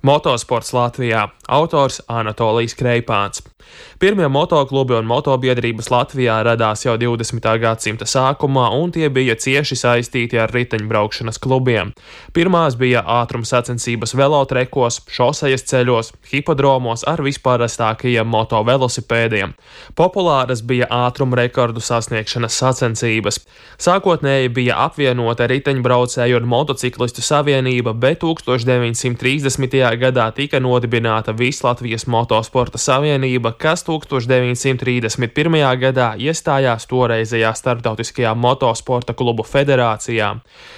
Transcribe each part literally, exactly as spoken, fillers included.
Motosports Latvijā. Autors Anatolijs Kreipāns. Pirmie motoklubi un motobiedrības Latvijā radās jau divdesmitā gadsimta sākumā, un tie bija cieši saistīti ar riteņbraukšanas klubiem. Pirmās bija ātruma sacensības velotrekos, šosejas ceļos, hipodromos ar visparastākajiem motovelosipēdiem. Populāras bija ātruma rekordu sasniegšanas sacensības. Sākotnēji bija apvienota riteņbraucēju un motociklistu savienība, bet tūkstoš deviņsimt trīsdesmitajā gadā tika nodibināta Vislatvijas motosporta savienība, kas tūkstoš deviņsimt trīsdesmit pirmajā gadā iestājās toreizējā Starptautiskajā motosporta klubu federācijā.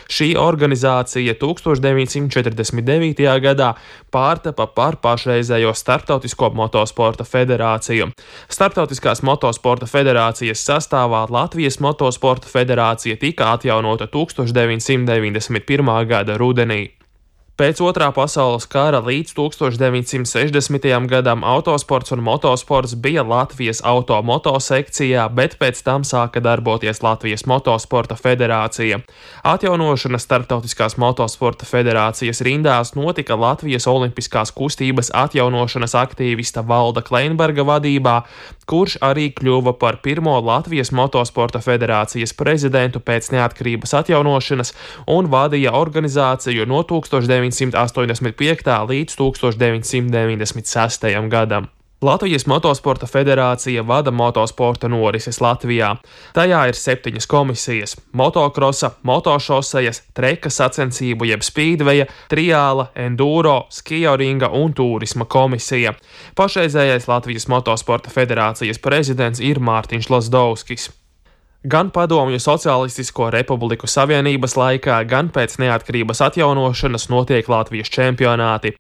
Šī organizācija tūkstoš deviņsimt četrdesmit devītajā gadā pārtapa par pašreizējo Starptautisko motosporta federāciju. Starptautiskās motosporta federācijas sastāvā Latvijas motosporta federācija tika atjaunota tūkstoš deviņsimt deviņdesmit pirmā gada rudenī. Pēc otrā pasaules kara līdz tūkstoš deviņsimt sešdesmitajam gadam autosports un motosports bija Latvijas automoto sekcijā, bet pēc tam sāka darboties Latvijas motosporta federācija. Atjaunošana Starptautiskās motosporta federācijas rindās notika Latvijas olimpiskās kustības atjaunošanas aktīvista Valda Kleinberga vadībā, kurš arī kļuva par pirmo Latvijas motosporta federācijas prezidentu pēc neatkarības atjaunošanas un vadīja organizāciju no tūkstoš deviņsimt astoņdesmit piektā līdz tūkstoš deviņsimt deviņdesmit sestajam gadam. Latvijas motosporta federācija vada motosporta norises Latvijā. Tajā ir septiņas komisijas – motokrosa, motošosejas, treka sacensību jeb spīdveja, triāla, enduro, skijoringa un tūrisma komisija. Pašreizējais Latvijas motosporta federācijas prezidents ir Mārtiņš Lazdovskis. Gan Padomju Socialistisko Republiku Savienības laikā, gan pēc neatkarības atjaunošanas notiek Latvijas čempionāti.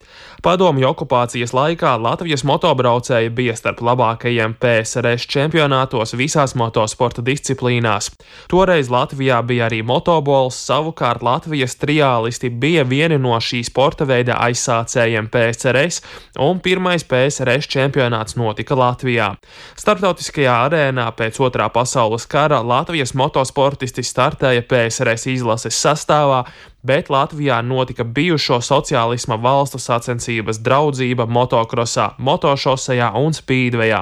Padomju okupācijas laikā Latvijas motobraucēji bija starp labākajiem P S R S čempionātos visās motosporta disciplīnās. Toreiz Latvijā bija arī motobols, savukārt Latvijas triālisti bija vieni no šī sporta veida aizsācējiem P S R S, un pirmais P S R S čempionāts notika Latvijā. Starptautiskajā arēnā pēc otrā pasaules kara Latvijas motosportisti startēja P S R S izlases sastāvā, bet Latvijā notika bijušo sociālisma valstu sacensības Draudzība motokrosā, motošosejā un spīdvejā.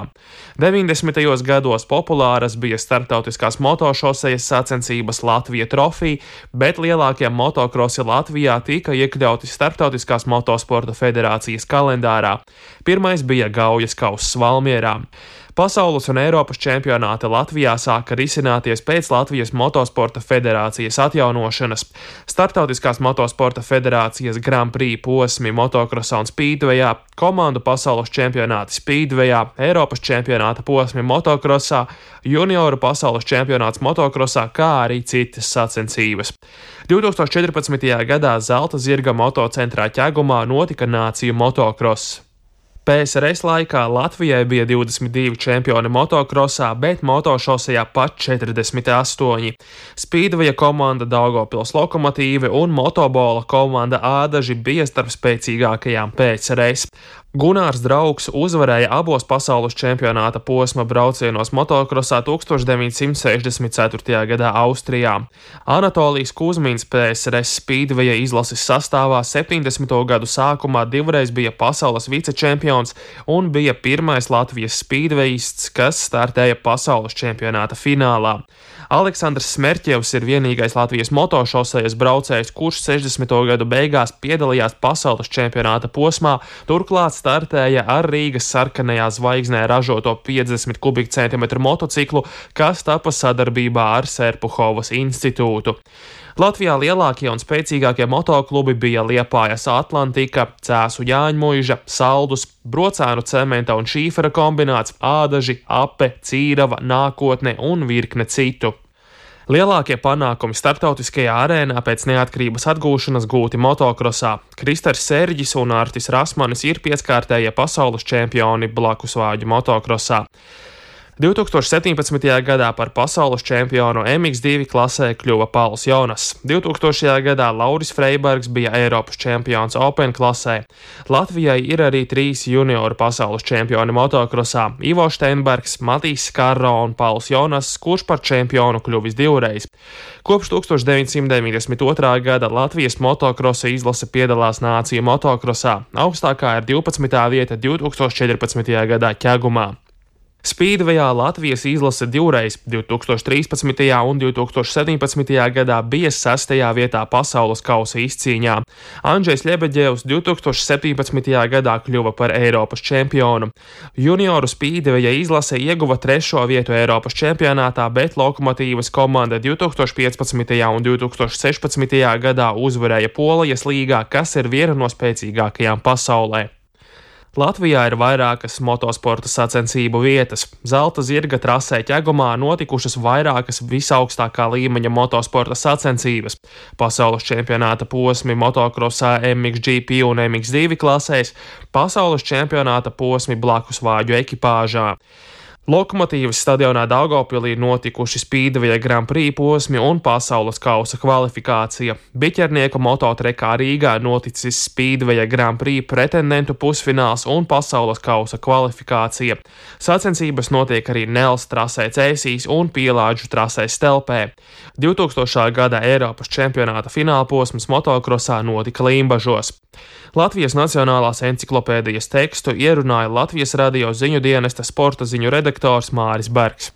deviņdesmitajos gados populāras bija starptautiskās motošosejas sacensības Latvija trofija, bet lielākie motokrosi Latvijā tika iekļauti Starptautiskās motosporta federācijas kalendārā. Pirmais bija Gaujas kauss Valmierā. Pasaules un Eiropas čempionāti Latvijā sāka risināties pēc Latvijas motosporta federācijas atjaunošanas. Startautiskās motosporta federācijas Grand Prix posmi motokrosā un spīdvejā, komandu pasaules čempionāti spīdvejā, Eiropas čempionāta posmi motokrosā, junioru pasaules čempionāts motokrosā, kā arī citas sacensības. divtūkstoš četrpadsmitajā gadā Zelta zirga motocentrā Ķegumā notika nāciju motokross. P S R S laikā Latvijai bija divdesmit divi čempioni motokrosā, bet motošosejā pat četrdesmit astoņi. Spīdveja komanda Daugavpils Lokomotīve un motobola komanda Ādaži bija starp spēcīgākajām P S R S. Gunārs Draugs uzvarēja abos pasaules čempionāta posma braucienos motokrosā tūkstoš deviņsimt sešdesmit ceturtajā gadā Austrijā. Anatolijs Kuzmins P S R S spīdveja izlases sastāvā septiņdesmito gadu sākumā divreiz bija pasaules vicečempions un bija pirmais Latvijas spīdvejists, kas startēja pasaules čempionāta finālā. Aleksandrs Smerķevs ir vienīgais Latvijas motošosejas braucējs, kurš sešdesmito gadu beigās piedalījās pasaules čempionāta posmā, turklāt startēja ar Rīgas sarkanajā zvaigznē ražoto piecdesmit kubikcentimetru motociklu, kas tapa sadarbībā ar Serpuhovas institūtu. Latvijā lielākie un spēcīgākie motoklubi bija Liepājas Atlantika, Cēsu Jāņmuiža, Saldus, Brocēnu cementa un šīfera kombināts, Ādaži, Ape, Cīrava, Nākotne un virkne citu. Lielākie panākumi starptautiskajā arēnā pēc neatkarības atgūšanas gūti motokrosā. Kristers Serģis un Artis Rasmanis ir pieckārtējie pasaules čempioni blakusvāģu motokrosā. divtūkstoš septiņpadsmitajā gadā par pasaules čempionu M X divi klasē kļuva Pauls Jonas. divtūkstošajā gadā Lauris Freibergs bija Eiropas čempions Open klasē. Latvijai ir arī trīs junioru pasaules čempioni motokrosā - Ivo Steinbergs, Matīs Skarro un Pauls Jonas, kurš par čempionu kļuvis divreiz. Kopš tūkstoš deviņsimt deviņdesmit otrā gada Latvijas motokrosa izlase piedalās nāciju motokrosā. Augstākā ir divpadsmitā vieta divtūkstoš četrpadsmitajā gadā Ķegumā. Spīdvejā Latvijas izlase divreiz, divtūkstoš trīspadsmitajā un divtūkstoš septiņpadsmitajā gadā bija sestajā vietā pasaules kausa izcīņā. Andžejs Ļebeģevs divtūkstoš septiņpadsmitajā gadā kļuva par Eiropas čempionu. Junioru spīdveja izlase ieguva trešo vietu Eiropas čempionātā, bet Lokomotīvas komanda divtūkstoš piecpadsmitajā un divtūkstoš sešpadsmitajā gadā uzvarēja Polijas līgā, kas ir viena no spēcīgākajām pasaulē. Latvijā ir vairākas motosporta sacensību vietas. Zelta zirga trasē Ķegumā notikušas vairākas visaugstākā līmeņa motosporta sacensības. Pasaules čempionāta posmi motokrosā M X G P un M X divi klasēs, pasaules čempionāta posmi blakus vāģu ekipāžā. Lokomotīvas stadionā Daugavpilī notikuši Spīdveja Grand Prix posmi un pasaules kausa kvalifikācija. Biķernieku mototrekā Rīgā noticis Spīdveja Grand Prix pretendentu pusfināls un pasaules kausa kvalifikācija. Sacensības notiek arī Nels trasē Cēsīs un Pielāģu trasē Stelpē. divtūkstošā gada Eiropas čempionāta fināla posms motokrosā notika Limbažos. Latvijas Nacionālās enciklopēdijas tekstu ierunāja Latvijas radio ziņu dienesta sporta ziņu redaktors Māris Bergs.